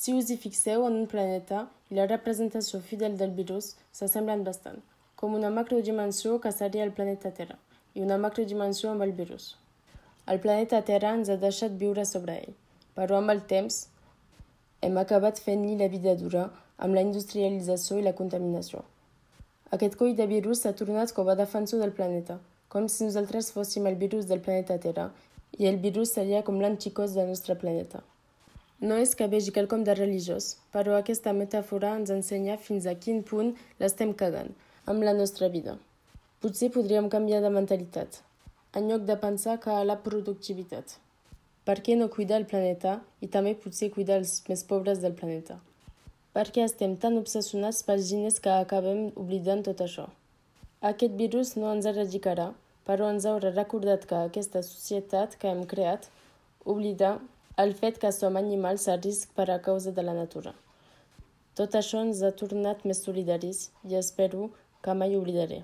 Si us hi fixeu en un planeta i la representació fidel del virus s'assemblen bastant, com una macrodimensió que seria el planeta Terra i una macrodimensió amb el virus. El planeta Terra ens ha deixat viure sobre ell, però amb el temps hem acabat fent-li la vida dura amb la industrialització i la contaminació. Aquest coll de virus s'ha tornat com a defensor del planeta, com si nosaltres fóssim el virus del planeta Terra i el virus seria com l'anticòs del nostre planeta. No és que vegi quelcom de religiós, però aquesta metàfora ens ensenya fins a quin punt l'estem cagant amb la nostra vida. Potser podríem canviar de mentalitat, en lloc de pensar que a la productivitat. Per què no cuidar el planeta i també potser cuidar els més pobres del planeta? Per què estem tan obsessionats pels diners que acabem oblidant tot això? Aquest virus no ens erradicarà, però ens haurà recordat que aquesta societat que hem creat oblida el fet que som animals a risc per a causa de la natura. Tot això ens ha tornat més solidaris i espero que mai oblidaré.